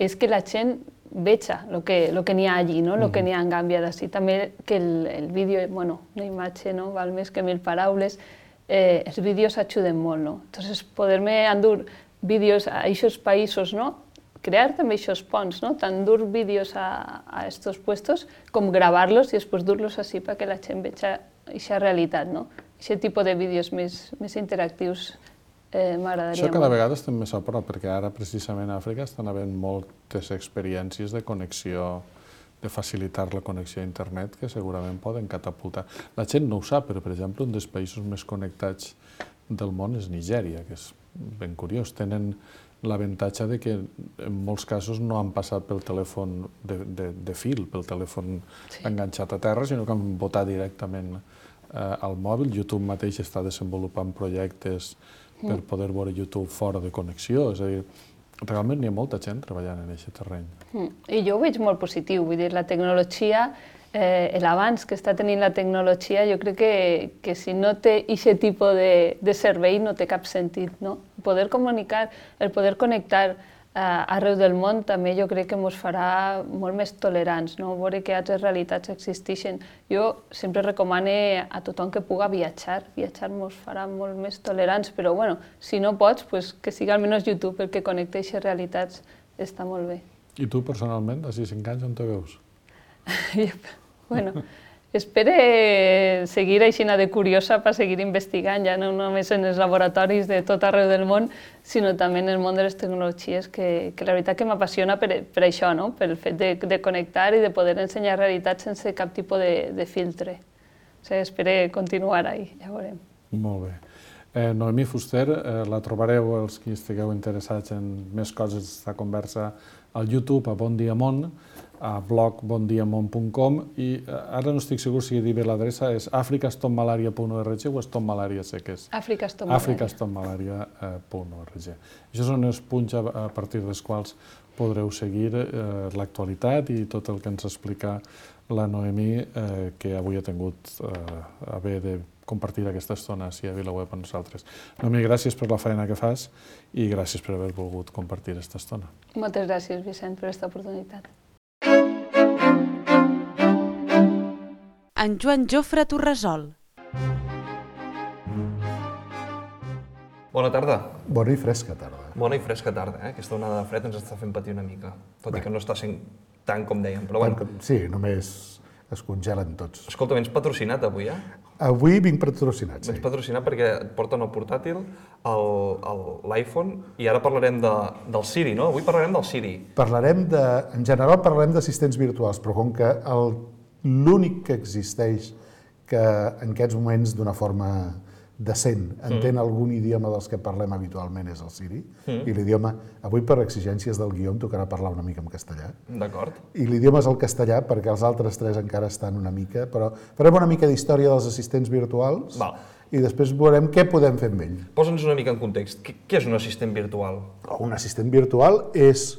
és que la gent veja el que, lo que n'hi ha allí, no? El que n'hi ha en Gàmbia d'ací. També que el, el vídeo, bueno, una imatge, no? Val més que mil paraules. Eh, els vídeos ajuden molt, no? Entonces, poder-me endur vídeos a aquests països, no? Crear també aquests ponts, no? Tant dur vídeos a, a estos puestos com gravar-los i després dur-los així perquè la gent veja aquesta realitat, no? Aquest tipus de vídeos més, més interactius eh, m'agradaria Això cada molt. vegada estem més a prop, perquè ara precisament a Àfrica estan havent moltes experiències de connexió, de facilitar la connexió a internet, que segurament poden catapultar. La gent no ho sap, però, per exemple, un dels països més connectats del món és Nigèria, que és ben curiós. Tenen l'avantatge de que en molts casos no han passat pel telèfon de, de, de fil, pel telèfon sí. enganxat a terra, sinó que han votat directament eh, al mòbil. YouTube mateix està desenvolupant projectes mm. per poder veure YouTube fora de connexió, és a dir, realment n'hi ha molta gent treballant en aquest terreny. Mm. I jo ho veig molt positiu, vull dir, la tecnologia, eh, l'avanç que està tenint la tecnologia, jo crec que, que si no té aquest tipus de, de servei no té cap sentit, no? Poder comunicar, el poder connectar eh, arreu del món també jo crec que ens farà molt més tolerants, no? Veure que altres realitats existeixen. Jo sempre recomano a tothom que puga viatjar, viatjar ens farà molt més tolerants, però bueno, si no pots, pues, que siga almenys YouTube el que connecta aquestes realitats, està molt bé. I tu, personalment, d'ací cinc anys, on te veus? Bueno, espero seguir aixina de curiosa per seguir investigant, ja no només en els laboratoris de tot arreu del món, sinó també en el món de les tecnologies, que, que la veritat que m'apassiona per, per això, no? Pel fet de, de connectar i de poder ensenyar realitats sense cap tipus de, de filtre. O sigui, espero continuar ahí, ja veurem. Molt bé. Eh, Noemí Fuster, eh, la trobareu, els que estigueu interessats en més coses d'esta conversa, al YouTube, a Bon Dia Món, a blog bon dia món punt com, i ara no estic segur si he dit bé l'adreça, és africa stop malaria punt org o stop malaria seques? africa stop malaria. africa stop malaria punt org. Això són els punts a partir dels quals podreu seguir eh, l'actualitat i tot el que ens explica la Noemí, eh, que avui ha tingut eh, a bé de compartir aquesta estona així a VilaWeb amb nosaltres. Noemí, gràcies per la feina que fas i gràcies per haver volgut compartir aquesta estona. Moltes gràcies, Vicent, per aquesta oportunitat. En Joan Jofre Torresol. Bona tarda. Bona i fresca tarda. Bona i fresca tarda, eh? Aquesta onada de fred ens està fent patir una mica, tot i que no està sent tant com dèiem, però bueno. Sí, només es congelen tots. Escolta, vens patrocinat avui, eh? Avui vinc patrocinat, sí. Vens patrocinat perquè et porten el portàtil, l'iPhone, i ara parlarem de, del Siri, no? Avui parlarem del Siri. Parlarem de... En general parlarem d'assistents virtuals, però com que el l'únic que existeix que en aquests moments d'una forma decent entén mm. algun idioma dels que parlem habitualment és el Siri, mm. i l'idioma, avui per exigències del guió em tocarà parlar una mica en castellà. D'acord. I l'idioma és el castellà perquè els altres tres encara estan una mica, però farem una mica d'història dels assistents virtuals. Val. I després veurem què podem fer amb ell. Posa'ns una mica en context. Què és un assistent virtual? Un assistent virtual és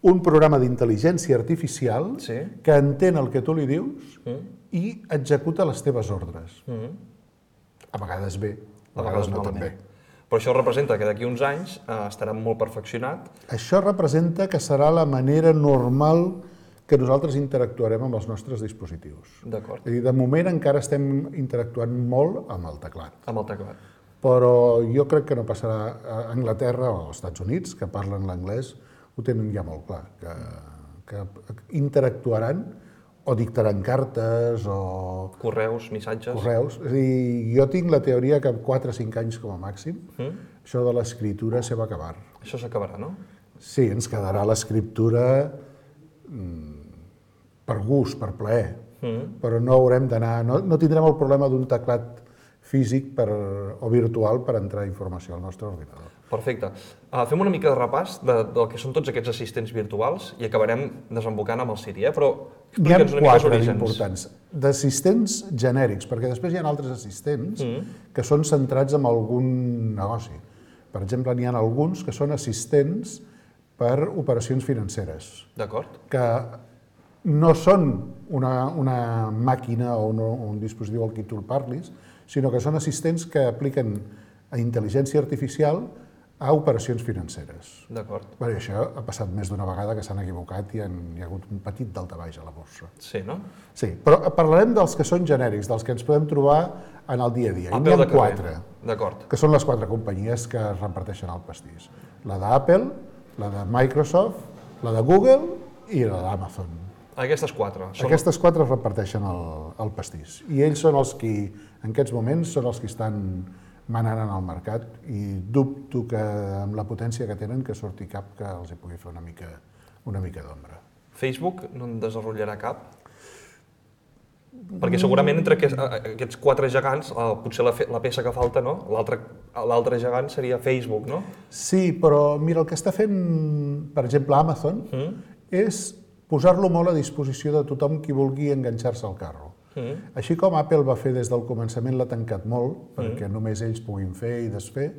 un programa d'intel·ligència artificial sí. que entén el que tu li dius mm. i executa les teves ordres. Mm. A vegades bé, a, a vegades, vegades no tan bé. Però això representa que d'aquí uns anys eh, estarà molt perfeccionat. Això representa que serà la manera normal que nosaltres interactuarem amb els nostres dispositius. D'acord. És a dir, de moment encara estem interactuant molt amb el teclat. Amb el teclat. Però jo crec que no passarà a Anglaterra o als Estats Units, que parlen l'anglès, ho tenen ja molt clar, que, que interactuaran o dictaran cartes o... Correus, missatges... Correus. És a dir, jo tinc la teoria que en quatre o cinc anys com a màxim, mm. això de l'escriptura se va acabar. Això s'acabarà, no? Sí, ens quedarà l'escriptura mm, per gust, per plaer, mm. però no haurem d'anar... No, no tindrem el problema d'un teclat físic per, o virtual per entrar informació al nostre ordinador. Perfecte. Uh, fem una mica de repàs de, del que són tots aquests assistents virtuals i acabarem desembocant amb el Siri, eh? Però N'hi ha explica'ns una mica els quatre orígens. importants. D'assistents genèrics, perquè després hi ha altres assistents Mm. que són centrats en algun negoci. Per exemple, n'hi ha alguns que són assistents per operacions financeres, D'acord? que no són una, una màquina o un, un dispositiu al qui tu el parlis, sinó que són assistents que apliquen a intel·ligència artificial a operacions financeres. D'acord. Bé, això ha passat més d'una vegada que s'han equivocat i han, hi ha hagut un petit daltabaix a la borsa. Sí, no? Sí, però parlarem dels que són genèrics, dels que ens podem trobar en el dia a dia. I n'hi ha quatre, D'acord. que són les quatre companyies que es reparteixen el pastís. La d'Apple, la de Microsoft, la de Google i la d'Amazon. Aquestes quatre. Són... Aquestes quatre es reparteixen el, el pastís. I ells són els qui, en aquests moments, són els que estan manant en el mercat i dubto que amb la potència que tenen que surti cap que els hi pugui fer una mica, una mica d'ombra. Facebook no en desenvoluparà cap? Perquè segurament entre aquests, aquests quatre gegants, eh, potser la, fe, la peça que falta, no? L'altre gegant seria Facebook, no? Sí, però mira, el que està fent, per exemple, Amazon, mm. és posar-lo molt a disposició de tothom qui vulgui enganxar-se al carro. Mm. Així com Apple va fer des del començament, l'ha tancat molt, perquè mm. només ells puguin fer i desfer,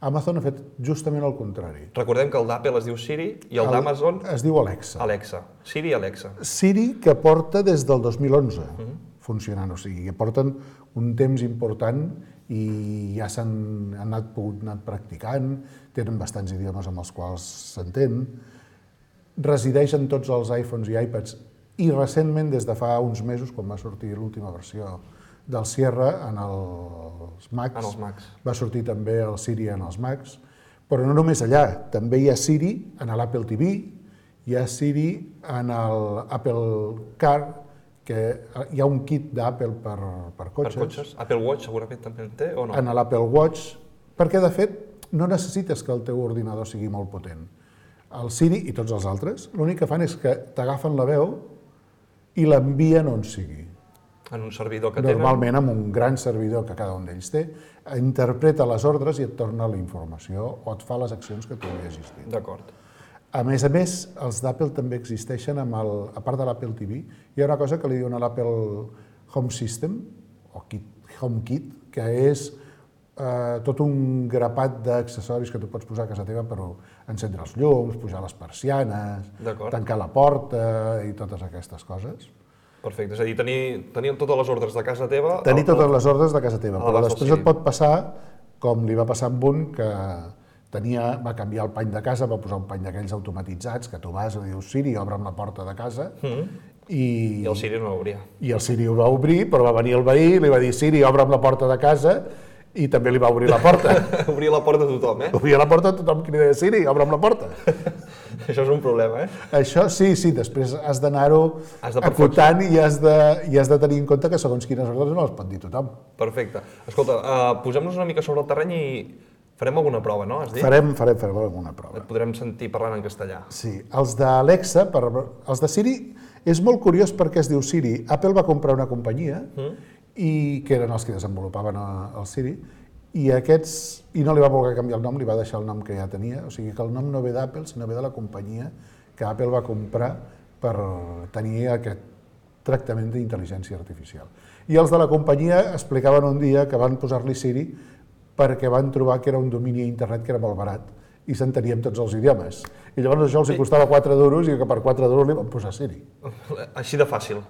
Amazon ha fet justament el contrari. Recordem que el d'Apple es diu Siri i el, el d'Amazon... Es diu Alexa. Alexa. Siri i Alexa. Siri, que porta des del dos mil onze mm. funcionant, o sigui, que porten un temps important i ja s'han anat, anat practicant, tenen bastants idiomes amb els quals s'entén, resideix en tots els iPhones i iPads i recentment, des de fa uns mesos, quan va sortir l'última versió del Sierra en els Macs, en els Macs, va sortir també el Siri en els Macs, però no només allà, també hi ha Siri en l'Apple T V, hi ha Siri en l'Apple Car, que hi ha un kit d'Apple per, per cotxes. Per cotxes. Apple Watch segurament també en té, o no? En l'Apple Watch, perquè de fet no necessites que el teu ordinador sigui molt potent. El Siri i tots els altres, l'únic que fan és que t'agafen la veu i l'envien on sigui. En un servidor que tenen? Normalment amb un gran servidor que cada un d'ells té, interpreta les ordres i et torna la informació o et fa les accions que tu li hagis dit. D'acord. A més a més, els d'Apple també existeixen, amb el, a part de l'Apple T V, hi ha una cosa que li diuen a l'Apple Home System, o Kit, HomeKit, que és eh, tot un grapat d'accessoris que tu pots posar a casa teva per encendre els llums, pujar les persianes, tancar la porta i totes aquestes coses. Perfecte, és a dir, tenir, tenir totes les ordres de casa teva... Tenir totes les ordres de casa teva, però després et pot passar, com li va passar amb un, que tenia, va canviar el pany de casa, va posar un pany d'aquells automatitzats, que tu vas i dius, Siri, obre'm la porta de casa, mm. i... I el Siri no l'obria. I el Siri ho va obrir, però va venir el veí, li va dir, Siri, obre'm la porta de casa, i també li va obrir la porta. Obria la porta a tothom, eh? Obria la porta a tothom qui li deia, Siri, obre'm la porta. Això és un problema, eh? Això sí, sí, després has d'anar-ho acotant i has, de, i has de tenir en compte que segons quines ordres no les pot dir tothom. Perfecte. Escolta, uh, posem-nos una mica sobre el terreny i farem alguna prova, no? Has dit? Farem, farem, farem alguna prova. Et podrem sentir parlant en castellà. Sí, els d'Alexa, per, els de Siri, és molt curiós perquè es diu Siri. Apple va comprar una companyia, mm. i que eren els que desenvolupaven el Siri, i aquests, i no li va voler canviar el nom, li va deixar el nom que ja tenia, o sigui que el nom no ve d'Apple, sinó ve de la companyia que Apple va comprar per tenir aquest tractament d'intel·ligència artificial. I els de la companyia explicaven un dia que van posar-li Siri perquè van trobar que era un domini a internet que era molt barat i s'entenien tots els idiomes. I llavors això els hi costava quatre duros i que per quatre duros li van posar Siri. Així de fàcil.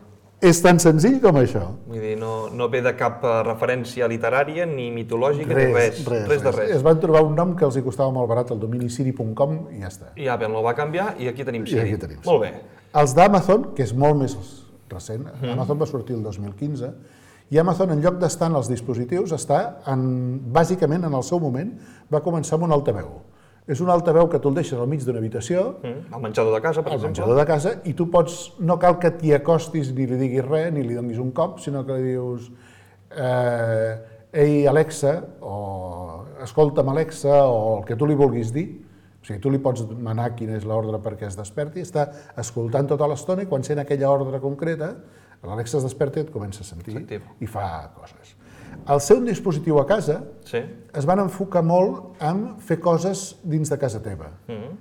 És tan senzill com això. Vull dir, no, no ve de cap referència literària, ni mitològica, res, ni res. Res, res de res. Es van trobar un nom que els hi costava molt barat, el domini siri punt com, i ja està. I Apple el va canviar i aquí tenim Siri. I aquí tenim. Molt bé. Els d'Amazon, que és molt més recent, mm. Amazon va sortir el dos mil quinze, i Amazon, en lloc d'estar en els dispositius, està, en, bàsicament, en el seu moment, va començar amb un altaveu. És un altaveu que tu el deixes al mig d'una habitació, mm, al menjador de casa, per al exemple. menjador de casa, i tu pots, no cal que t'hi acostis ni li diguis res, ni li donis un cop, sinó que li dius eh, ei Alexa, o escolta'm Alexa, o el que tu li vulguis dir. O sigui, tu li pots manar quina és l'ordre perquè es desperti, està escoltant tota l'estona i quan sent aquella ordre concreta, l'Alexa es desperta i et comença a sentir i fa coses. Al ser un dispositiu a casa, Sí. es van enfocar molt en fer coses dins de casa teva. Mhm.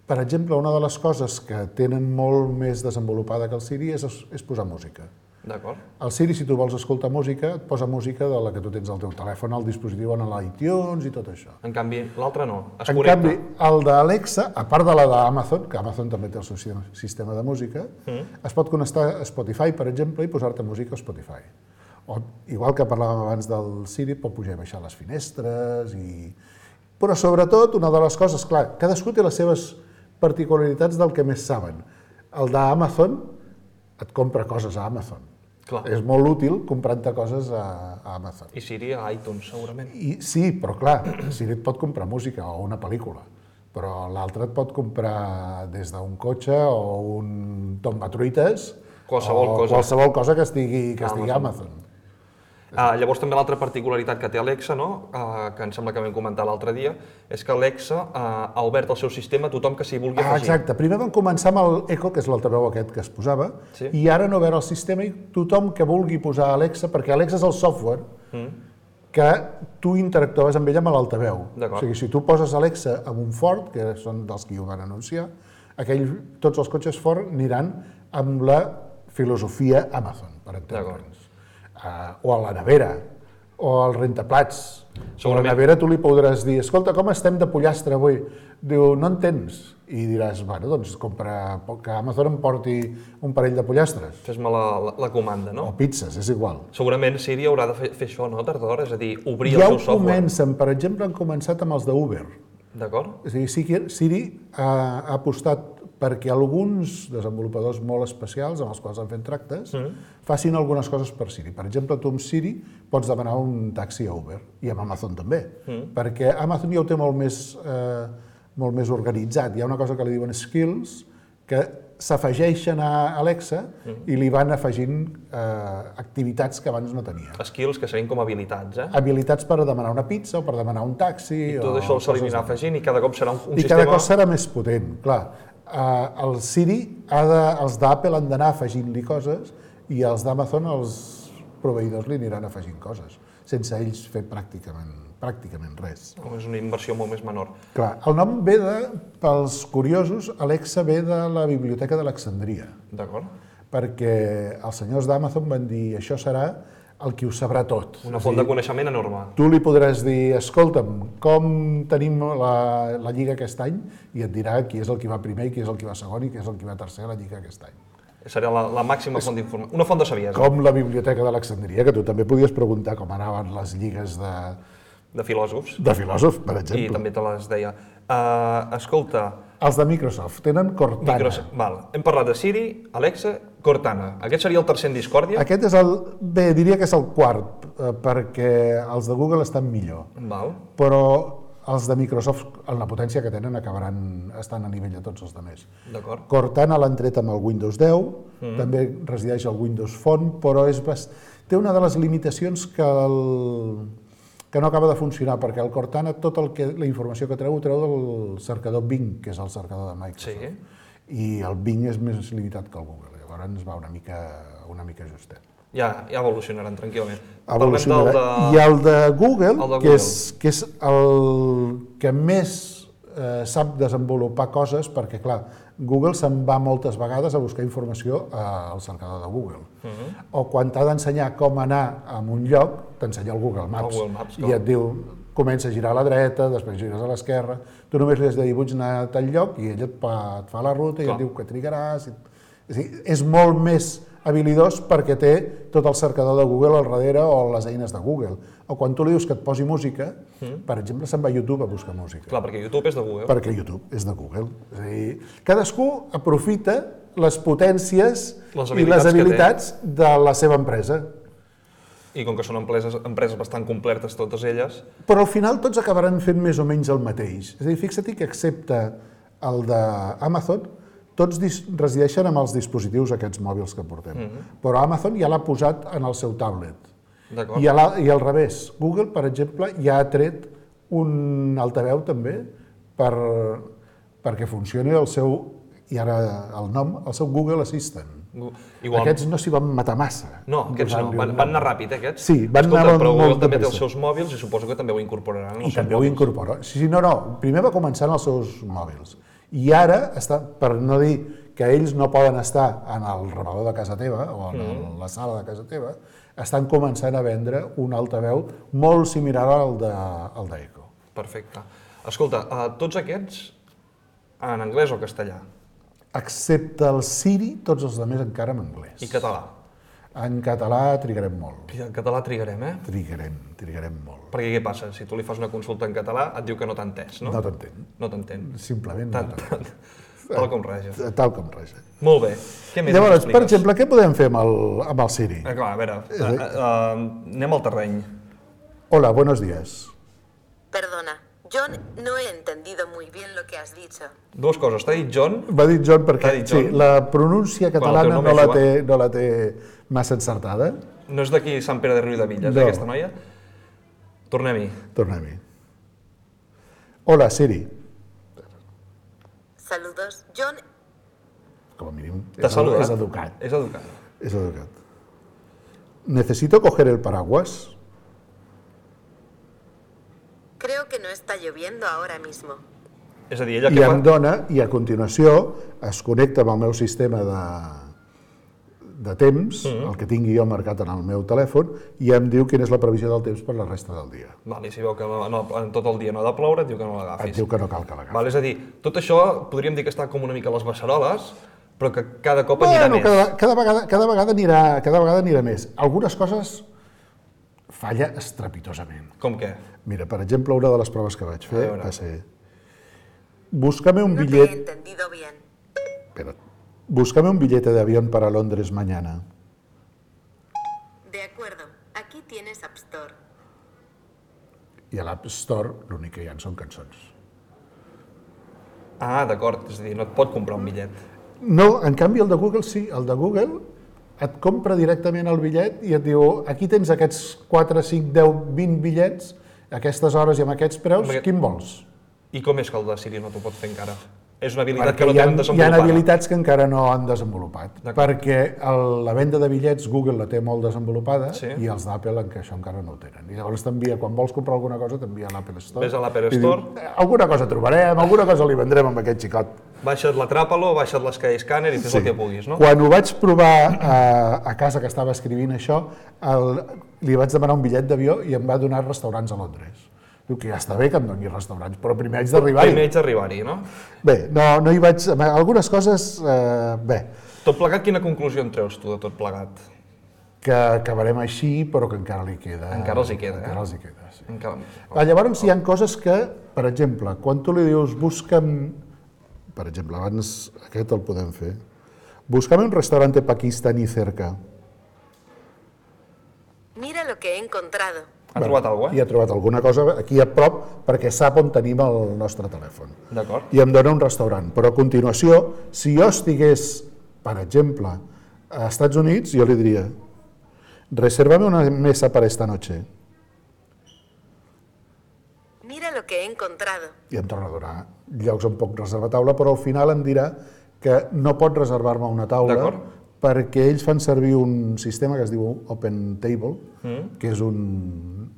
Per exemple, una de les coses que tenen molt més desenvolupada que el Siri és, és posar música. D'acord. El Siri, si tu vols escoltar música, et posa música de la que tu tens al teu telèfon, al dispositiu, en l'iTunes i tot això. En canvi, l'altre no. Es En connecta. canvi, el d'Alexa, a part de la d'Amazon, que Amazon també té el seu sistema de música, Mm. es pot connectar a Spotify, per exemple, i posar-te música a Spotify. O, igual que parlàvem abans del Siri, pot pujar i baixar les finestres i... Però sobretot, una de les coses, clar, cadascú té les seves particularitats del que més saben. El d'Amazon et compra coses a Amazon. Clar. És molt útil comprant-te coses a, a Amazon. I Siri a iTunes, segurament. I, sí, però clar, Siri et pot comprar música o una pel·lícula, però l'altre et pot comprar des d'un cotxe o un tombatruites Qualsevol o cosa. qualsevol cosa que estigui, que estigui a Amazon. Amazon. Uh, llavors també l'altra particularitat que té Alexa, no? uh, que em sembla que vam comentar l'altre dia, és que Alexa uh, ha obert el seu sistema a tothom que s'hi vulgui Ah, afegir. exacte. Primer vam començar amb el Echo, que és l'altaveu aquest que es posava, Sí. i ara han obert el sistema i tothom que vulgui posar Alexa, perquè Alexa és el software Mm. que tu interactuaves amb ell amb l'altaveu. D'acord. O sigui, si tu poses Alexa amb un Ford, que són dels que ho van anunciar, aquell, tots els cotxes Ford aniran amb la filosofia Amazon, per entendre'ns. Uh, o a la nevera, o al rentaplats. A la Segurament. nevera tu li podràs dir, escolta, com estem de pollastre avui? Diu, no en tens. I diràs, bueno, doncs compra, que Amazon em porti un parell de pollastres. Fes-me la, la, la comanda, no? O pizzas, és igual. Segurament Siri haurà de fer, fer això, no, tard d'hora? És a dir, obrir Ja el ho seu software. comencen, per exemple, han començat amb els d'Uber. D'acord? És a dir, Siri, Siri ha, ha apostat perquè alguns desenvolupadors molt especials, amb els quals han fet tractes, mm. facin algunes coses per Siri. Per exemple, tu amb Siri pots demanar un taxi a Uber, i amb Amazon també, mm. perquè Amazon ja ho té molt més, eh, molt més organitzat. Hi ha una cosa que li diuen skills, que s'afegeixen a Alexa mm. i li van afegint eh, activitats que abans no tenia. Skills que serien com habilitats, eh? Habilitats per demanar una pizza o per demanar un taxi. I tot o això se li coses anirà de- afegint i cada cop serà un, un I sistema... cada cop serà més potent, clar. Uh, el Siri, ha de, els d'Apple han d'anar afegint-li coses i els d'Amazon, els proveïdors li aniran afegint coses, sense ells fer pràcticament, pràcticament res. O és una inversió molt més menor. Clar, el nom ve de, pels curiosos, Alexa ve de la Biblioteca d'Alexandria, D'acord? perquè els senyors d'Amazon van dir això serà el qui ho sabrà tot. Una És a font dir, de coneixement enorme. tu li podràs dir, escolta'm, com tenim la, la Lliga aquest any? I et dirà qui és el que va primer, i qui és el que va segon i qui és el que va tercer a la Lliga aquest any. Serà la, la màxima font d'informació. Una font de saviesa, Com la Biblioteca d'Alexandria, que tu també podies preguntar com anaven les lligues de, de filòsofs. de filòsofs, per I exemple. també te les deia. Uh, escolta, Els de Microsoft tenen Cortana. Microsoft, val. Hem parlat de Siri, Alexa, Cortana. Aquest seria el tercer en discòrdia? Aquest és el... Bé, diria que és el quart, eh, perquè els de Google estan millor. Val. Però els de Microsoft, en la potència que tenen, acabaran estant a nivell de tots els altres. D'acord. Cortana l'han tret amb el Windows deu, mm. també resideix al Windows Phone, però és bast... té una de les limitacions que, el... que no acaba de funcionar, perquè el Cortana, tota el que, la informació que treu, ho treu del cercador Bing, que és el cercador de Microsoft. Sí. I el Bing és més limitat que el Google, llavors ens va una mica, una mica justet. Ja, ja evolucionaran tranquil·lament. Evolucionarà. Parlem del I el de Google, El de que, és, Google. que és el que més eh, sap desenvolupar coses, perquè, clar, Google se'n va moltes vegades a buscar informació al cercador de Google. Uh -huh. O quan t'ha d'ensenyar com anar a un lloc, t'ensenya el Google Maps. El Google Maps, I clar. et diu, comença a girar a la dreta, després gires a l'esquerra, tu només li has de dir, vull anar a tal lloc, i ell et fa, et fa la ruta i Clar. et diu que trigaràs. I... És, a dir, és molt més habilidós perquè té tot el cercador de Google al darrere o les eines de Google. O quan tu li dius que et posi música, mm. per exemple, se'n va a YouTube a buscar música. Clar, perquè YouTube és de Google. Perquè YouTube és de Google. És a dir, cadascú aprofita les potències Les i habilitats les que té. habilitats de la seva empresa. I com que són empreses, empreses bastant completes totes elles, Però al final tots acabaran fent més o menys el mateix. És a dir, fixa't que excepte el d'Amazon, tots dis- resideixen amb els dispositius aquests mòbils que portem. Mm-hmm. Però Amazon ja l'ha posat en el seu tablet. d'acord? I, a la, I al revés, Google, per exemple, ja ha tret un altaveu també per, perquè funcioni el seu, i ara el nom, el seu Google Assistant. Igual... Aquests no s'hi van matar massa. No, aquests no, van, van anar ràpid, eh, aquests? Sí, van Escolta, anar però molt Google de també té els pressa. seus mòbils i suposo que també ho incorporaran en I els seus també ho mòbils. incorpora. Sí, sí, no, no, primer va començar en els seus mòbils. I ara, està, per no dir que ells no poden estar en el rebedor de casa teva o en mm. la sala de casa teva, estan començant a vendre un altaveu molt similar al de, al d'Echo. Perfecte. Escolta, uh, tots aquests en anglès o castellà? Excepte el Siri, tots els altres encara en anglès. I català? En català trigarem molt. I en català trigarem, eh? Trigarem, trigarem molt. Perquè què passa? Si tu li fas una consulta en català, et diu que no t'ha entès, no? No t'entén. No t'entén. Simplement Tant, no t'entén. Tal com raja. Tal com raja. Molt bé. Què més Llavors, m'expliques? per exemple, què podem fer amb el, amb el Siri? Eh, clar, a veure, uh, uh, uh, anem al terreny. Hola, buenos días. Perdona, John, no he entendido muy bien lo que has dicho. Dues coses. T'ha dit John? Va dir John perquè T'ha dit John? sí, la pronúncia Quan el catalana teu nom no és la, Joan. té, no la té massa encertada. No és d'aquí Sant Pere de Riudevilles, No. eh, aquesta noia? Tornem-hi. Tornem-hi. Hola, Siri. Saludos, John. Com a mínim, T'ha és, saludat? és educat. És educat. És educat. Necesito coger el paraguas. Creo que no está lloviendo ahora mismo. És a dir, ella I què em fa? dona, i a continuació es connecta amb el meu sistema de, de temps, Mm-hmm. el que tingui jo marcat en el meu telèfon, i em diu quina és la previsió del temps per la resta del dia. Val, i si veu que no, no, en tot el dia no ha de ploure, et diu que no Et l'agafis. diu que no cal que l'agafi. Val, és a dir, tot això podríem dir que està com una mica a les beceroles, però que cada cop anirà Bueno, més. cada, cada, vegada, cada, vegada anirà, cada vegada anirà més. Algunes coses falla estrepitosament. Com què? Mira, per exemple, una de les proves que vaig A fer veure. va ser... Búscame un No te he billet... entendido bien. Espera. Búscame un billete de avión para Londres mañana. De acuerdo, aquí tienes App Store. I a l'App Store l'únic que hi ha són cançons. Ah, d'acord, és a dir, no et pot comprar un bitllet. No, en canvi el de Google sí, el de Google et compra directament el bitllet i et diu aquí tens aquests quatre, cinc, deu, vint bitllets, a aquestes hores i amb aquests preus, Amb aquest- quin vols? I com és que el de Siri no t'ho pot fer encara? És una habilitat Perquè que no hi ha, tenen hi ha desenvolupada. habilitats que encara no han desenvolupat, D'acord. perquè el, la venda de bitllets Google la té molt desenvolupada Sí. i els d'Apple en què això encara no ho tenen. I llavors t'envia, quan vols comprar alguna cosa, t'envia a l'Apple Store. Ves a l'Apple i diu, Store. "Eh, alguna cosa trobarem, alguna cosa li vendrem amb aquest xicot. Baixa't l'atràpalo, baixa't l'Skyscanner i fes el que puguis, no? Quan ho vaig provar a, a casa que estava escrivint això, el, li vaig demanar un bitllet d'avió i em va donar restaurants a Londres. Diu que ja està bé que em doni restaurants, però primer haig d'arribar-hi. Primer haig d'arribar-hi, no? Bé, no, no hi vaig... Algunes coses, eh, bé, Tot plegat, quina conclusió en treus tu de tot plegat? que acabarem així, però que encara li queda... Encara els hi queda, eh? Encara els hi queda, sí. Encara... Ah, llavors hi ha coses que, per exemple, quan tu li dius busca'm... Per exemple, abans aquest el podem fer. Busca'm un restaurante pakistaní cerca. Mira lo que he encontrado. Ha trobat alguna I cosa, ha trobat alguna cosa aquí a prop perquè sap on tenim el nostre telèfon. eh? D'acord. I em dona un restaurant. Però a continuació, si jo estigués, per exemple, a Estats Units, jo li diria resérvame una mesa para esta noche. Mira lo que he encontrado. I em torna a donar llocs on puc reservar taula, però al final em dirà que no pot reservar-me una taula D'acord. perquè ells fan servir un sistema que es diu Open Table, Mm. que és un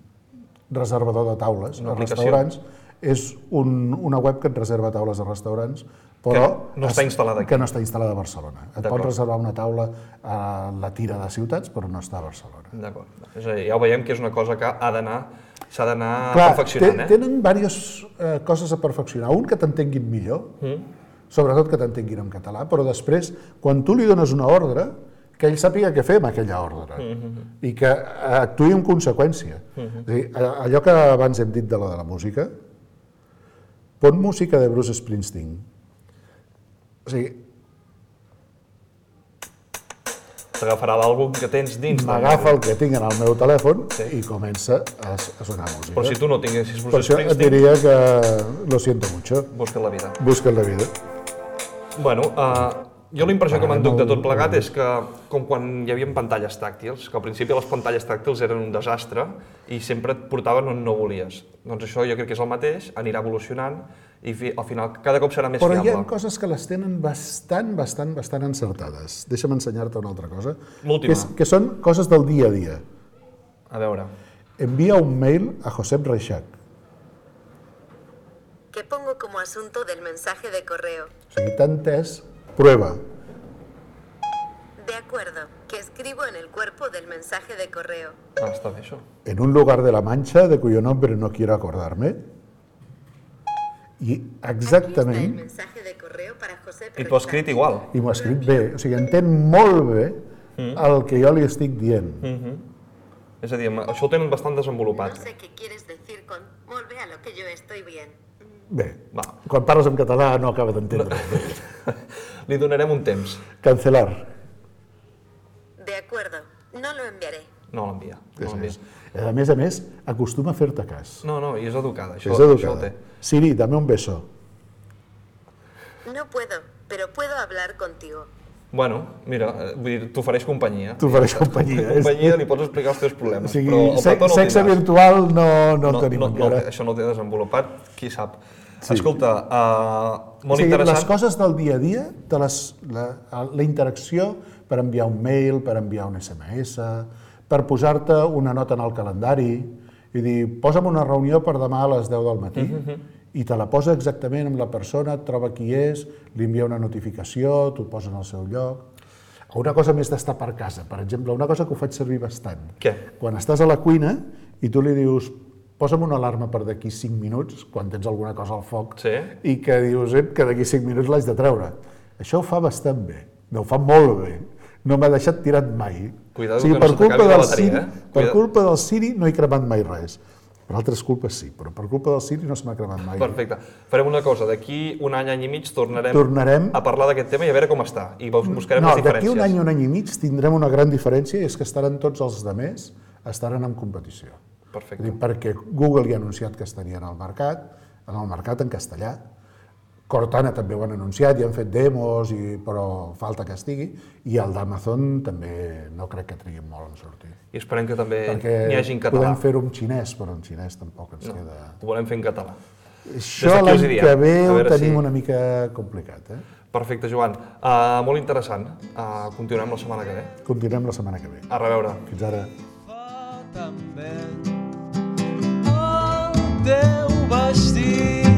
reservador de taules Una a aplicació. restaurants. És un, una web que et reserva taules a restaurants, però Que no està instal·lada aquí. que no està instal·lada a Barcelona. Et D'acord. pots reservar una taula a la tira de ciutats, però no està a Barcelona. D'acord. És a dir, ja ho veiem que és una cosa que ha d'anar, s'ha d'anar Clar, perfeccionant, té- eh? tenen diverses eh, coses a perfeccionar. Un, que t'entenguin millor, Mm. sobretot que t'entenguin en català, però després, quan tu li dones una ordre, que ell sàpiga què fer amb aquella ordre Mm-hmm. i que actuï en conseqüència. És a dir, a- allò que abans hem dit de la de la música, pon música de Bruce Springsteen. O sigui, T'agafarà l'àlbum que tens dins. del m'agafa mòbil. el que tinc en el meu telèfon Sí. i comença a, a sonar música. Però si tu no tinguessis Per Bruce això et Springsteen, diria que lo siento mucho, busca la vida. busca la vida. Bueno, uh, Jo la impressió que Pararem m'enduc de el- tot plegat és que, com quan hi havia pantalles tàctils, que al principi les pantalles tàctils eren un desastre i sempre et portaven on no volies. Doncs això jo crec que és el mateix, anirà evolucionant i fi, al final cada cop serà més Però hi ha fiable. coses que les tenen bastant, bastant, bastant encertades. Deixa'm ensenyar-te una altra cosa. L'última. Que, és, que són coses del dia a dia. A veure, Envia un mail a Josep Reixac. ¿Qué pongo como asunto del mensaje de correo? O sigui, t'ha entès, prueba. De acuerdo, que escribo en el cuerpo del mensaje de correo. ah, està bé això. En un lugar de la Mancha de cuyo nombre no quiero acordarme. I Aquí está el exactament, mensaje de correo para José I t'ho has escrit igual. i m'ho ha escrit bé, o sigui, entén molt bé el que jo li estic dient. És a dir, això ho tenen bastant No desenvolupat. sé qué quieres decir con volve a lo que yo estoy bien. Bé, Va. quan parles en català no acaba d'entendre. Li donarem un temps. Cancelar. De acuerdo, no lo enviaré. No l'envia. No És, l'envia. és. A més a més, acostuma a fer-te cas. No, no, i és educada. Això, És això ho educada. té. Siri, dame un beso. No puedo, pero puedo hablar contigo. Bueno, mira, eh, vull dir, t'ofereix companyia. T'ofereix companyia. És- Companyia, li pots explicar els teus O problemes, sigui, però el se petó no el sexe tindràs. virtual no, no, No, el tenim no, no, encara. això no ho té desenvolupat, qui sap. Sí. Escolta, uh, molt o sigui, interessant. les coses del dia a dia, de les, la, la interacció per enviar un mail, per enviar un esse eme esse, per posar-te una nota en el calendari i dir, posa'm una reunió per demà a les deu del matí, uh -huh. i te la posa exactament amb la persona, et troba qui és, li envia una notificació, t'ho posa en el seu lloc. O una cosa més d'estar per casa, per exemple, una cosa que ho faig servir bastant. Què? Quan estàs a la cuina i tu li dius, posa'm una alarma per d'aquí cinc minuts, quan tens alguna cosa al foc, Sí. i que dius eh, que d'aquí cinc minuts l'haig de treure. Això ho fa bastant bé, no, ho fa molt bé. No m'ha deixat tirat mai. Cuidado o sigui, que no per se t'acabi culpa la del bateria, Siri, eh? per Cuida- culpa del Siri no he cremat mai res. Per altres culpes sí, però per culpa del Siri no se m'ha cremat mai. Perfecte. Farem una cosa, d'aquí un any, any i mig tornarem, Tornarem- a parlar d'aquest tema i a veure com està. I bus- buscarem No, les d'aquí diferències. un any, un any i mig tindrem una gran diferència i és que estaran tots els demés estaran en competició. Perfecte. És a dir, perquè Google ja ha anunciat que estarien al mercat, en el mercat en castellà. Cortana també ho han anunciat i han fet demos, i, però falta que estigui. I el d'Amazon també no crec que trigui molt en sortir. I esperem que també Perquè n'hi hagi en català. podem fer-ho en xinès, però en xinès tampoc ens No, queda... ho volem fer en català. Això d'aquí us hi l'any diem. que ve A ho veure tenim si- una mica complicat. Eh? Perfecte, Joan. Uh, molt interessant. Uh, continuem la setmana que ve. Continuem la setmana que ve. A reveure. Fins ara. Fa també el teu vestit